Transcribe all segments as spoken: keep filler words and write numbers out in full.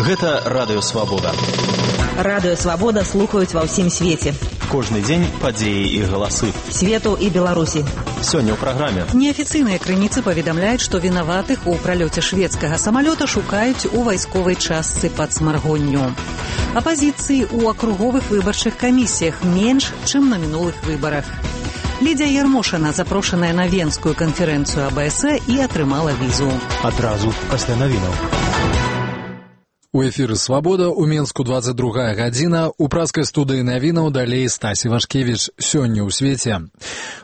Гэта Радыё Свабода. Радыё Свабода слухаюць ва ўсім свеце. Кожны дзень падзеі і галасы. Свету і Беларусі. Сёння ў праграме. Неафіцыйныя крыніцы паведамляюць, што вінаватых у пралёце шведскага самалёта шукаюць у вайсковай частцы пад Смаргонню. Апазіцыі ў акруговых выбарчых камісіях менш, чым на мінулых выбарах. Лідзія Ярмошына запрошаная на Венскую канферэнцыю А Б С і атрымала візу. Адразу пасля навінаў. У эфіры «Свабода» у Менску двадцать другая гадзіна. У праскай студыі навінаў далей Стасі Вашкевіч. Сёння ў свеце.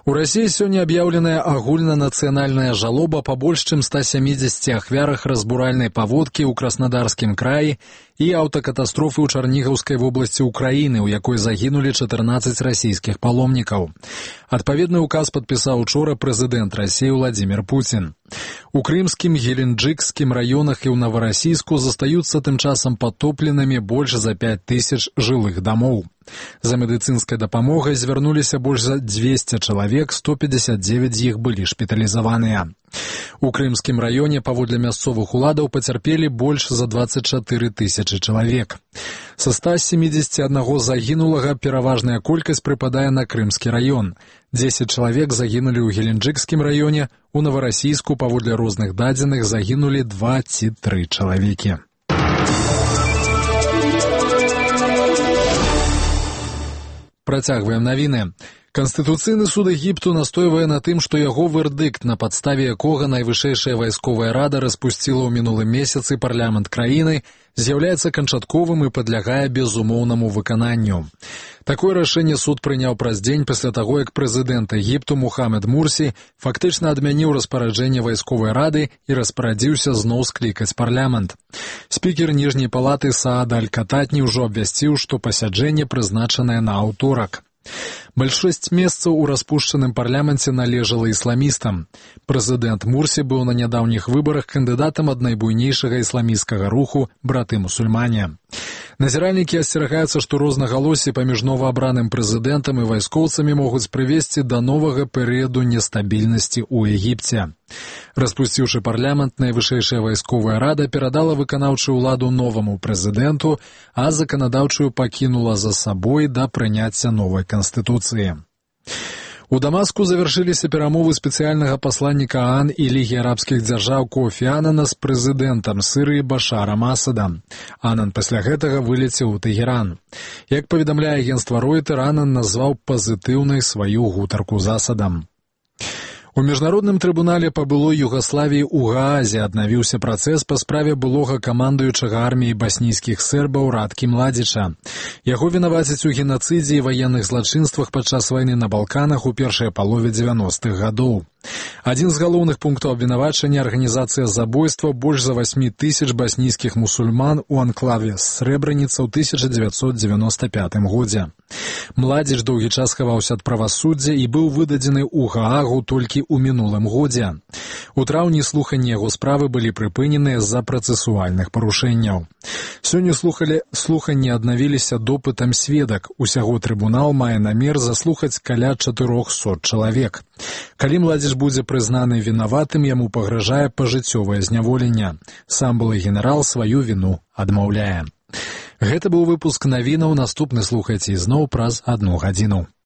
У Расіі сёння аб'яўленая агульнанацыянальная жалоба па больш чым ста сямідзесяці ахвярах разбуральнай паводкі ў Краснодарскім краі і аўтакатастрофы ў Чарнігаўскай вобласці ўкраіны, у якой загінулі чатырнаццаць расійскіх паломнікаў. Адпаведны ўказ падпісаў учора прэзідэнт Расіі Владзімір Пуцін. У крымскім, геленджыкскім раёнах і ў Наварасійску застаюцца тым часам патопленымі больш за пяць тысяч жылых дамоў. За медыцынскай дапамогай звярнуліся больш за дзвесце чалавек, сто пятьдесят девять з іх былі шпіталізаваныя. У крымскім раёне паводле мясцовых уладаў пацярпелі больш за двадцать чатыры тысячы чалавек. Са ста семідзесяці аднаго загінулага пераважная колькасць прыпадае на крымскі раён. дзесяць чалавек загінулі ў геленджыкскім раёне, у Наварасійску паводле розных дадзеных загінулі два ці тры чалавекі. Працягваем навіны. Канстытуцыйны суд Егіпту настойвае на тым, што яго вердыкт, на падставе якога найвышэйшая вайсковая рада распусціла ў мінулым месяцы парламент краіны, з'яўляецца канчатковым і падлягае безумоўнаму выкананню. Такое рашэнне суд прыняў праз дзень пасля таго, як прэзідэнт Егіпту Мухаммед Мурсі фактычна адмяніў распараджэнне вайсковай рады і распарадзіўся зноў склікаць парламент. Спікер ніжняй палаты Саад Аль-Кататні ўжо абвясціў, што пасяджэнне прызначанае на аўторак. Большасць месцаў у распушчаным парламенце належала ісламістам. Прэзідэнт Мурсі быў на нядаўніх выбарах кандыдатам ад найбуйнейшага ісламісцкага руху браты-мусульмане. Назіральнікі асцерагаюцца, што рознагалоссі паміж новаабраным прэзідэнтам і вайскоўцамі могуць прывесці да новага перыяду нестабільнасці ў Егіпце. Распусціўшы парламент, найвышэйшая вайсковая рада перадала выканаўчую ўладу новаму прэзідэнту, а заканадаўчую пакінула за сабой да прыняцця новай канстытуцыі. У Дамаску завяршыліся перамовы спецыяльнага пасланніка ААН і Лігі арабскіх дзяржаў Кофі Анана з прэзідэнтам Сірыі Башарам Асадам. Анан пасля гэтага вылецеў у Тэгеран. Як паведамляе агенцтва Ройтер, Анан назваў пазітыўнай сваю гутарку з Асадам. У міжнародным трыбунале па былой Югаславіі ў Гаазе аднавіўся працэс па справе былога камандуючага арміі баснійскіх сербаў Радкі Младзіча. Яго вінавацяць у генацыдзе і ваенных злачынствах падчас вайны на Балканах у першай палове дзевяностых гадоў. Адзін з галоўных пунктаў абвінавачання – арганізацыя забойства больш за восьмі тысяч баснійскіх мусульман у анклаве Срэбраніца ў тысяча дзевяцьсот дзевяноста пятым годзе. Младзіч доўгі час хаваўся ад правасуддзя і быў выдадзены ў Гаагу толькі ў мінулым годзе. У траўні слуханні яго справы былі прыпыненыя з-за працэсуальных парушэнняў. Сёння слухалі, слуханні аднавіліся допытам сведак. Усяго трыбунал мае намер заслухаць каля чатырохсот чалавек. Калі Младзіч будзе прызнаны вінаватым, яму пагражае пажыццёвае зняволенне. Сам былы генерал сваю віну адмаўляе. Гэта быў выпуск навінаў, наступны слухайце ізноў праз адну гадзіну.